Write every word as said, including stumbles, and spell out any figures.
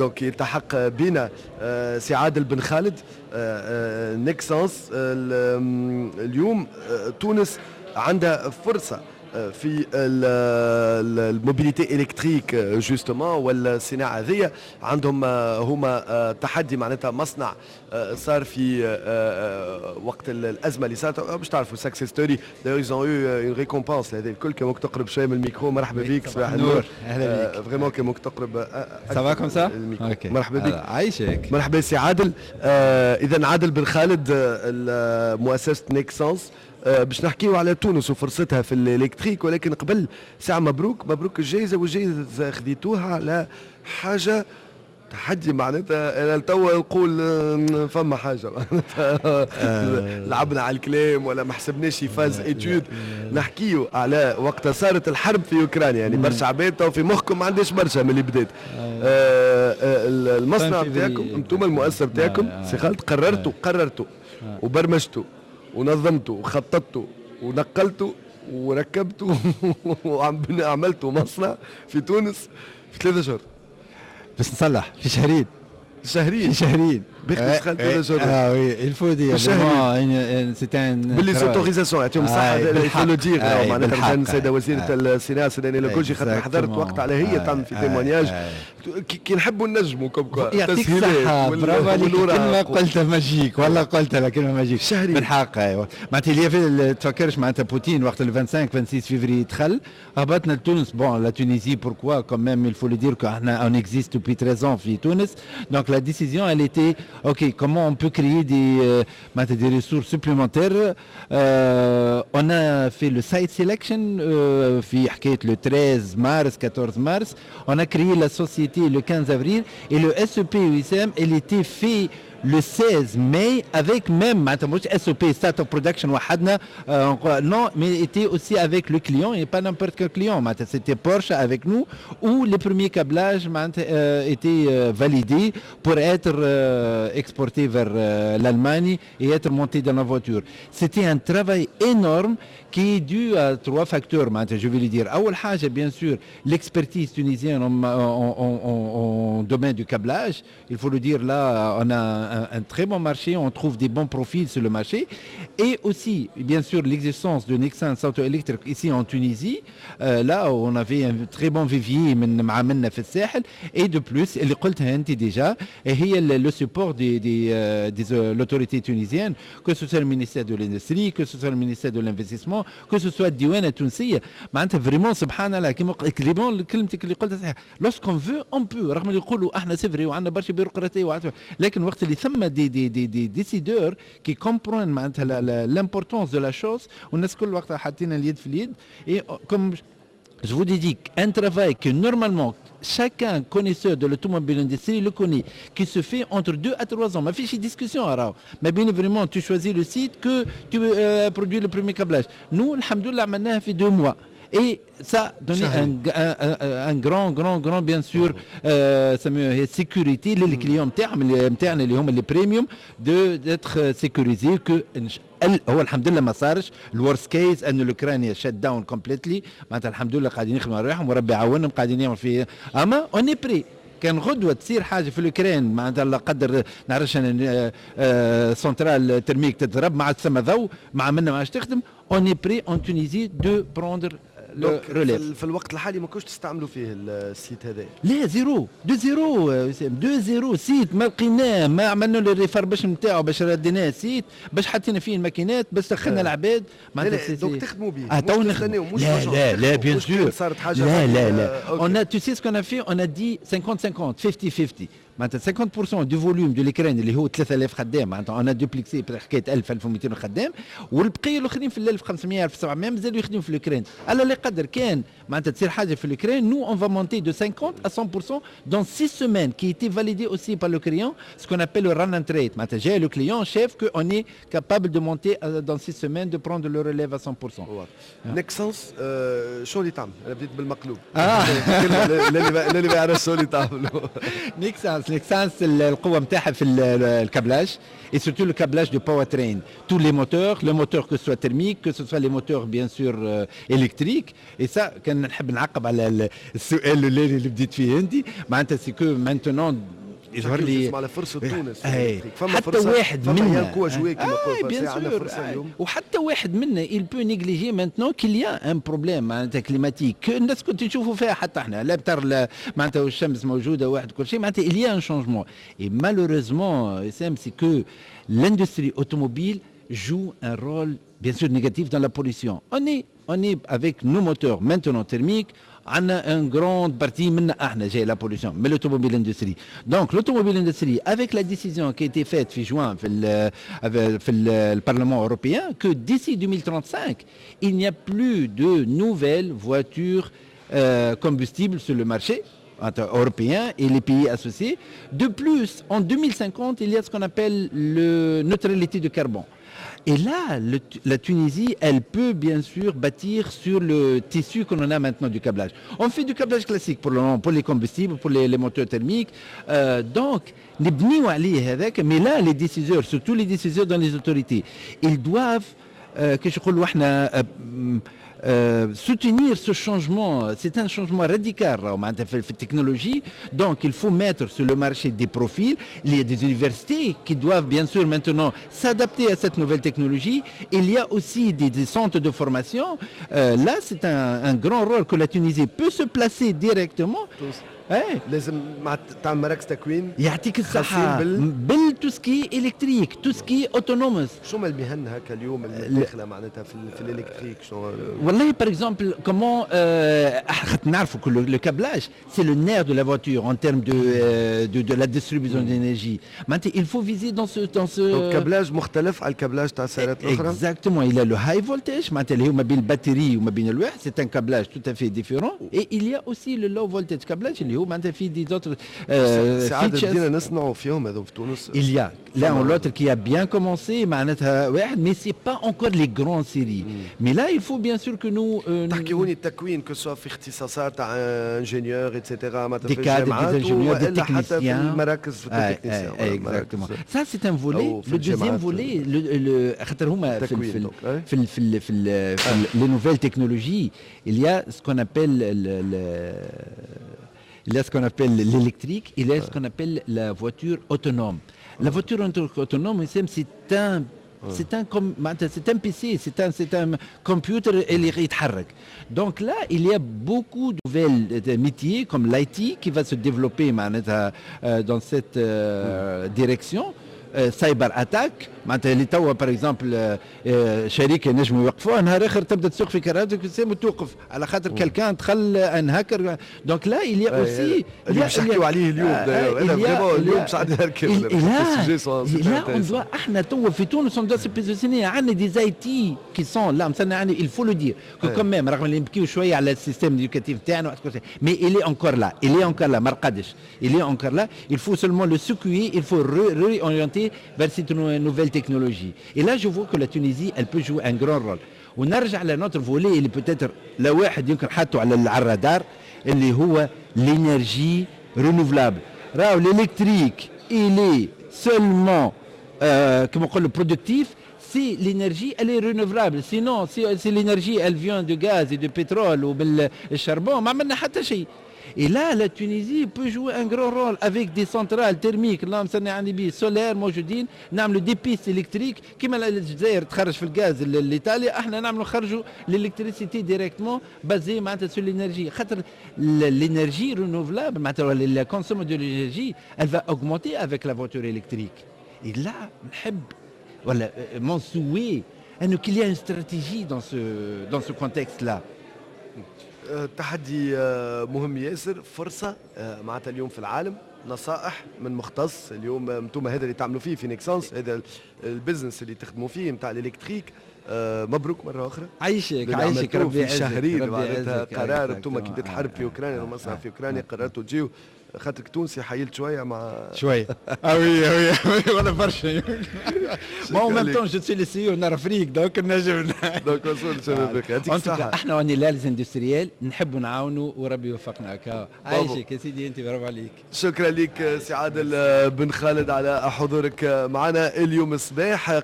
donc يلتحق بنا آه، سي عادل بن خالد، آه، آه، Nexans. اليوم تونس عندها فرصة في ال mobilité électrique justement، والصناعة هذيا عندهم هما تحدي، معناتها مصنع صار في وقت الازمة اللي صارت، باش تعرفوا success story، d'ailleurs ils ont eu une récompense. هذه الكل كان ممكن تقرب شوية من الميكرو. مرحبا بك، صباح النور. اهلا بك. vraiment كان ممكن تقرب. ça va comme ça؟ مرحبا بك. عايشك. مرحبا سي عادل. اذا عادل بن خالد، مؤسسة Nexans، آه، باش نحكيو على تونس وفرصتها في ال électrique، ولكن قبل ساعة مبروك مبروك الجائزة، والجائزة خذيتوها على حاجة تحدي، معناتها انا توا نقول آه، فما حاجة معناتها آه. لعبنا على الكلام ولا ما حسبناش phase étude. نحكيو على وقت صارت الحرب في اوكرانيا، يعني برشا عباد تو في مخكم ما عنديش برشا من اللي بدات آه المصنع بتاعكم انتم، المؤسسة بتاعكم سي خالد، قررتوا قررتوا وبرمجتوا ونظمتوا وخططتوا ونقلتوا وركبتوا وعملتوا مصنع في تونس في ثلاثة شهور. بس نصلح، في شهرين. شهرين. في شهرين. باختصار ثلاثة شهور. اه oui، il faut dire c'était ب les autorisations، يعطيهم الصحة، il faut le dire، معناتها السيدة وزيرة الصناعة السيدة لوكوجي، خاطر حضرت وقت على هي تعمل في témoignage كي نحبوا نجموا comme quoi. يعطيك الصحة، برافو عليك، كلمة قلتها magique والله، قلتها كلمة magique. شهرين. بالحق ايوه، معناتها اللي تفكرش معناتها بوتين وقت ال خمسة وعشرين ستة وعشرين فيفري دخل، هبطنا لتونس. bon، la Tunisie، pourquoi quand même il faut le dire que احنا on existe depuis treize ans في تونس. donc la décision elle était ok، comment on peut créer des, euh, des ressources supplémentaires؟ euh, on a fait le site selection euh, في حكاية le treize mars، quatorze mars، on a créé la société le quinze avril et le SOP وسام il était fait le seize mai avec même معناتها مش SOP start of production وحدنا، euh, non، mais était aussi avec le client et pas n'importe quel client، معناتها c'était Porsche avec nous où les premiers câblages معناتها euh, étaient euh, validés pour être euh, exportés vers euh, l'Allemagne et être montés dans la voiture. C'était un travail énorme qui est dû à trois facteurs معناتها je vais le dire. أول حاجة bien sûr l'expertise tunisienne en, en, en, en, en domaine du câblage، il faut le dire، là on a un, un très bon marché، on trouve des bons profils sur le marché et aussi bien sûr l'existence de Nexans Auto Electric ici en Tunisie، euh, là où on avait un très bon vivier من معاملنا في الساحل، et de plus اللي قلتها انت déjà هي le support des des euh, des euh, l'autorité tunisienne، que ce soit le ministère de l'industrie، que ce soit le ministère de l'investissement، que ce soit الديوانه التونسيه. معناتها vraiment سبحان الله، كيما vraiment كلمتك اللي قلتها صحيح، lorsqu'on veut on peut، رغم اللي يقولوا احنا c'est vrai وعندنا برشا bureaucratie، لكن وقت اللي ثم des des des des décideurs qui comprennent معناتها l'importance de la chose، والناس كل وقتها حاطين اليد في اليد، et comme je vous ai dit، un travail que normalement chacun connaisseur de l'automobile industrie le connaît، qui se fait entre deux à trois ans. ما فيش discussion راهو ما بين vraiment tu choisis le site que tu euh, produis le premier câblage. Nous الحمد لله عملناها في deux mois. Et ça donnait un, un, un, un grand, grand, grand, bien sûr, euh, sécurité لل clients نتاعهم نتاعنا اللي هما les premium de d'être sécurisés que هو الحمد لله ما صارش ال worst case انه الاوكرانيا shut down completely. معناتها الحمد لله قاعدين يخدموا على روحهم وربي يعاونهم، قاعدين يعملوا في، اما on est prêt كان غدوه تصير حاجة في الاوكران، معناتها لا قدر نعرفش انا آه، centrale thermique تضرب، ما عاد ثم ضوء، مع منا ما عادش تخدم، on est prêt en Tunisie de prendre le relève. في الوقت الحالي ما كنتش تستعملوا فيه ال site هذا؟ لا، zéro de zéro de zéro site، ما لقيناه، ما عملنا له ال refurbish نتاعو باش رديناه site، باش حطينا فيه الماكينات، باش دخلنا العباد. معناتها donc تخدموا به؟ اه تو نخدموا، لا لا لا، bien sûr. صارت حاجه. لا لا لا، on a tu sais ce qu'on a fait؟ on a dit cinquante cinquante، خمسين خمسين، معناتها cinquante pour cent du volume de l'Ukraine اللي هو ثلاثة آلاف خدام، معناتها on a duplexé حكاية ألف ألف ومئتين خدام، والبقية الاخرين في ألف وخمسمية ألف وسبعمية مازالوا يخدموا في l'Ukraine. على اللي قدر كان معناتها تصير حاجة في l'Ukraine، nous on va monter de cinquante à cent pour cent dans six semaines، qui était validé aussi par le client، ce qu'on appelle le run and rate. معناتها جاي le client شاف que on est capable de monter dans six semaines، de prendre le relève à cent pour cent. Nexans شو اللي تعمل؟ انا بديت بالمقلوب. اه اللي اللي ما يعرفش شو اللي تعملوا. Nexans Nexans. Nexans القوة نتاعها في ال câblage et surtout le câblage de powertrain. Tous les moteurs, le moteur que ce soit thermique, que ce soit les moteurs bien sûr euh, électriques. Et ça, كان نحب نعقب على السؤال الاولاني اللي بديت فيه انت، معناتها c'est que maintenant يظهر لي على فرصة تونس. حتى واحد منا كما وحتى واحد منا il peut négliger maintenant qu'il y a un problème معناتها climatique. الناس كنت تشوفوا فيها، حتى احنا لا بتر معناتها الشمس موجودة واحد كل شيء، معناتها il y a un changement et malheureusement c'est que l'industrie automobile joue un rôle bien sûr négatif dans la pollution. On est on est avec nos moteurs maintenant thermiques، عندنا une grande partie منا احنا جاي la pollution من l'automobile industrie. Donc l'automobile industrie, avec la décision qui a été faite في جوان في ال في ال Parlement européen que d'ici deux mille trente-cinq il n'y a plus de nouvelles voitures euh, combustibles sur le marché européen et les pays associés. De plus, en deux mille cinquante, il y a ce qu'on appelle le neutralité de carbone. Et là, le, la Tunisie, elle peut bien sûr bâtir sur le tissu qu'on en a maintenant du câblage. On fait du câblage classique pour le moment, pour les combustibles, pour les, les moteurs thermiques. Euh, donc, نبنيو عليه هذاك، mais là, les décideurs, surtout les décideurs dans les autorités, ils doivent, euh, كيش نقولوا احنا, euh, soutenir ce changement. C'est un changement radical معناتها في في ال technologie. Donc il faut mettre sur le marché des profils. Il y a des universités qui doivent bien sûr maintenant s'adapter à cette nouvelle technologie. Il y a aussi des, des centres de formation. Euh, là, c'est un, un grand rôle que la Tunisie peut se placer directement. ايه لازم مع تعمل مراكز تكوين. يعطيك الصحة. خاصين بال- بال tout ce qui est électrique, tout ce qui est autonome. شو ما المهن هكا اليوم اللي داخله معناتها في, ال- في ال électrique شنو؟ والله par exemple comment خاطر نعرفوا que le câblage, c'est le nerf de la voiture en termes de, euh, de de la distribution d'énergie. معناتها il faut viser dans ce dans ce donc câblage مختلف على ال câblage تاع السيارات الاخرى. Exactement, il a le high voltage معناتها اللي هو ما بين ال batterie وما بين الواحد، c'est un câblage tout à fait différent et il y a aussi le low voltage câblage اللي هو معناتها فيه des autres ساعات بدينا نصنعوا فيهم هذو في تونس. Il y a l'un ou l'autre qui a bien commencé معناتها واحد، mais c'est pas encore les grandes séries. Mais là, il faut bien sûr que nous euh, تحكي هوني التكوين que ce soit في اختصاصات تاع ingénieur et cetera معناتها des cadres, des ingénieurs, des حتى في techniciens. المراكز في ال techniciens. Exactement. Ça, c'est un volet. Le deuxième volet, le, le خاطر هما في في في في في, في les nouvelles technologies, il y a ce qu'on appelle le, le il y a ce qu'on appelle l'électrique, il y a ce qu'on appelle la voiture autonome. La voiture autonome, c'est un c'est un c'est un P C, c'est un c'est un computer اللي يتحرك. Donc là, il y a beaucoup de nouvelles métiers comme l'I T qui va se développer معناتها dans cette direction. Cyber attaque معناتها اللي توا par exemple شركة نجموا يوقفوها، نهار اخر تبدا تسوق في كرهبتك وتوقف على خاطر quelqu'un دخل un hacker. Donc là, il y a aussi اللي باش نحكيو عليه اليوم هذا vraiment اليوم باش عندنا là on doit احنا توا في تونس on doit se positionner. عندنا des I T qui sont là مثلا عندنا، il faut le dire que quand même رغم اللي نبكيو شوية على ال système éducatif تاعنا، mais il est encore là, il est encore là، ما رقدش، il est encore là. Il faut seulement le secouer, il faut réorienter vers cette nouvelle technologie. Et là, je vois que la Tunisie, elle peut jouer un grand rôle. ونرجع ل notre volet اللي peut-être لا واحد يمكن حطه على الرادار اللي هو l'énergie renouvelable. راهو l'électrique, il est seulement euh, كما نقولوا productif si l'énergie, elle est renouvelable. Sinon, si, si l'énergie, elle vient de gaz et de pétrole ou بال charbon، ما عملنا حتى شيء. Et là, la Tunisie peut jouer un grand rôle avec des centrales thermiques, اللهم صل على النبي، solaires موجودين، نعملوا des pistes électriques كيما الجزائر تخرج في الغاز لايطاليا، احنا نعملوا نخرجوا l'électricité directement basée معناتها sur l'énergie، خاطر l'énergie renouvelable معناتها la consommation de l'énergie, elle va augmenter avec la voiture électrique. Et là نحب ولا mon souhait انه qu'il y a une stratégie dans ce dans ce contexte là. تحدي مهم ياسر، فرصة معناتها اليوم في العالم. نصائح من مختص اليوم، انتم هذا اللي تعملوا فيه في Nexans، هذا ال business اللي تخدموا فيه نتاع ال électrique. مبروك مرة أخرى. عايشك عايشك. ربي في شهرين معناتها قرار انتم كي بدات الحرب في أوكرانيا ومصنع في أوكرانيا قررتوا تجيو. خاطرك تونسي حيلت شوية مع شويه، ah oui oui، ولا برشا. mais en même temps je suis le CEO Nord Afrique، donc نجم. donc وصول شباب، يعطيك الصحه. احنا on est là les industriels، نحبوا نعاونوا وربي يوفقنا. هكا عايشك يا سيدي، انت برافو عليك. شكرا لك سي عادل بن خالد على حضورك معنا اليوم الصباح.